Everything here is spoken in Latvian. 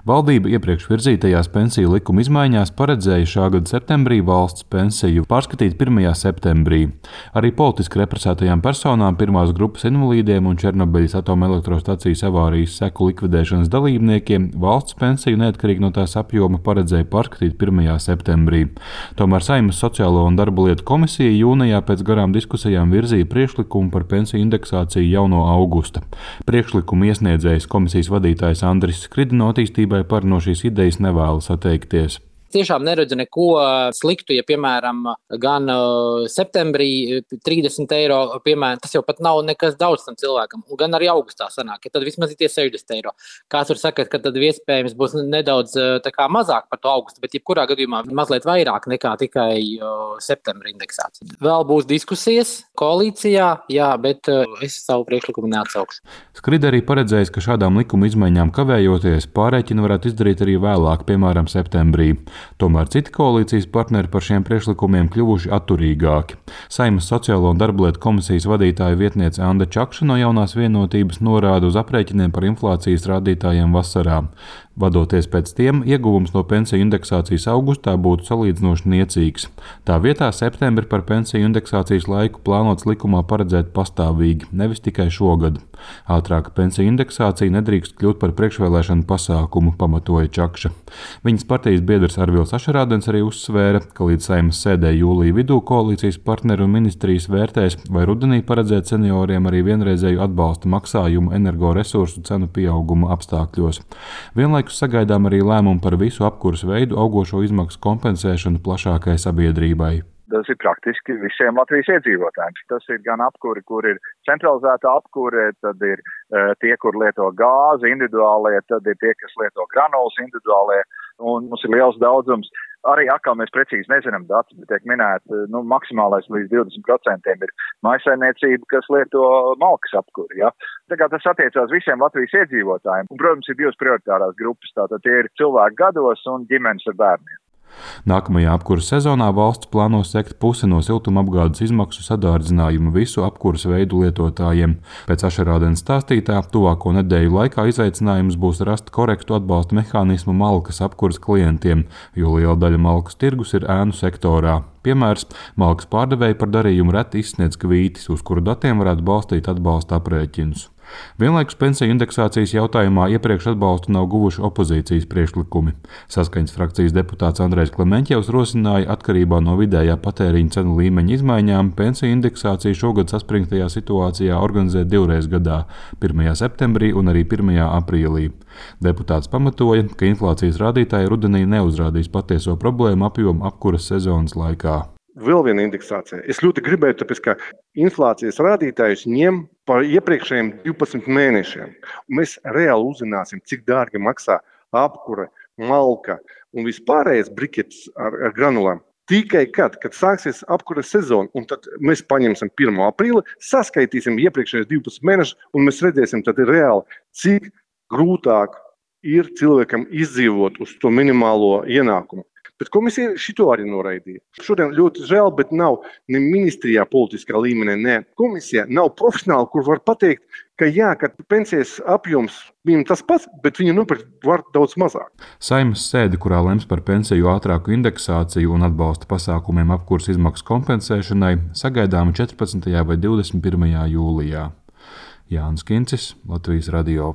Valdība iepriekš virzītajās pensiju likuma izmaiņās paredzēja šā gada septembrī valsts pensiju pārskatīt 1. septembrī. Arī politiski represētajām personām, pirmās grupas invalīdiem un Černobeļas atomelektrostacijas avārijas seku likvidēšanas dalībniekiem valsts pensiju neatkarīgi no tās apjoma paredzēja pārskatīt 1. septembrī. Tomēr Saeimas Sociālo un darba lietu komisija jūnijā pēc garām diskusijām virzīja priekšlikumu par pensiju indeksāciju jau no augusta. Priekšlikumu iesniedzējs komisijas vadītājs Andris Skrida no attīstībai par no šīs idejas nevēlas atteikties. Tiešām neredzu neko sliktu, ja, piemēram, gan septembrī 30 eiro, piemēram, tas jau pat nav nekas daudz tam cilvēkam, gan arī augustā sanāk, ja tad vismaz ir tie 60 eiro. Kāds var sakāt, ka tad iespējams būs nedaudz mazāk par to augustu, bet jebkurā gadījumā mazliet vairāk nekā tikai septembra indeksācija. Vēl būs diskusijas koalīcijā, jā, bet es savu priekšlikumu neatsaukšu. Skrida arī paredzējis, ka šādām likuma izmaiņām kavējoties pārreķinu varētu izdarīt arī vēlāk, piemēram, septembrī. Tomēr citi koalīcijas partneri par šiem priekšlikumiem kļuvuši atturīgāki. Saeimas Sociālo un darba lietu komisijas vadītāja vietniece Anda Čakša no Jaunās vienotības norāda uz aprēķiniem par inflācijas rādītājiem vasarā. Vadoties pēc tiem, ieguvums no pensiju indeksācijas augustā būtu salīdzinoši niecīgs. Tā vietā septembri par pensiju indeksācijas laiku plānots likumā paredzēt pastāvīgi, nevis tikai šogad. Ātrāka pensiju indeksācija nedrīkst kļūt par priekšvēlēšanu pasākumu, pamatoja Čakša. Viņas partijas biedrs Arvils Ašarādens arī uzsvēra, ka līdz Saeimas sēdē jūlija vidū koalīcijas partneri un ministrijas vērtēs, vai rudenī paredzēt senioriem arī vienreizēju atbalsta maksājumu energoresursu cenu pieauguma apstākļos. Vienlaikus sagaidām arī lēmumu par visu apkures veidu augošo izmaksu kompensēšanu plašākai sabiedrībai. Tas ir praktiski visiem Latvijas iedzīvotājiem. Tas ir gan apkuri, kur ir centralizēta apkure, tad ir tie, kur lieto gāzi individuālie, tad ir tie, kas lieto granulas individuālie, un mums ir liels daudzums. Arī atkal mēs precīzi nezinām datus, bet tiek minēti, maksimālais līdz 20% ir mājsaimniecība, kas lieto malkas apkuri. Ja? Tā kā tas attiecās visiem Latvijas iedzīvotājiem. Un, protams, ir divas prioritārās grupas, tātad tie ir cilvēki gados un ģimenes ar bērniem. Nākamajā apkuras sezonā valsts plāno sekt pusi no siltumapgādes izmaksu sadārdzinājumu visu apkuras veidu lietotājiem. Pēc Ašarādena stāstītā, tuvāko nedēļu laikā izaicinājums būs rast korektu atbalsta mehānismu malkas apkuras klientiem, jo liela daļa malkas tirgus ir ēnu sektorā. Piemērs – malkas pārdevēji par darījumu reti izsniedz kvītis, uz kuru datiem varētu balstīt atbalsta aprēķinus. Vienlaikus pensiju indeksācijas jautājumā iepriekš atbalstu nav guvuši opozīcijas priekšlikumi. Saskaņas frakcijas deputāts Andrejs Klemeņķevs rosināja atkarībā no vidējā patēriņa cenu līmeņa izmaiņām pensiju indeksāciju šogad saspringtajā situācijā organizēt divreiz gadā – 1. septembrī un arī 1. aprīlī. Deputāts pamatoja, ka inflācijas rādītāji rudenī neuzrādīs patieso problēmu apjomu apkuras sezonas laikā. Vēl viena indeksācija. Es ļoti gribēju, tāpēc, ka inflācijas rādītājus ņem par iepriekšējiem 12 mēnešiem. Un mēs reāli uzzināsim, cik dārgi maksā apkure, malka un vispārējais briketis ar granulām. Tikai kad sāksies apkures sezona, un tad mēs paņemsim 1. aprīli, saskaitīsim iepriekšējos 12 mēnešus, un mēs redzēsim tad reāli, cik grūtāk ir cilvēkam izdzīvot uz to minimālo ienākumu. Bet komisija šito arī noraidīja. Šodien ļoti žēl, bet nav ne ministrijā politiskā līmenī, ne komisijā, nav profesionāli, kur var pateikt, ka jā, ka pensijas apjoms viņam tas pats, bet viņi nopirkt var daudz mazāk. Saeimas sēde, kurā lems par pensiju ātrāku indeksāciju un atbalsta pasākumiem apkuras izmaksu kompensēšanai, sagaidāma 14. vai 21. jūlijā. Jānis Kincis, Latvijas radio.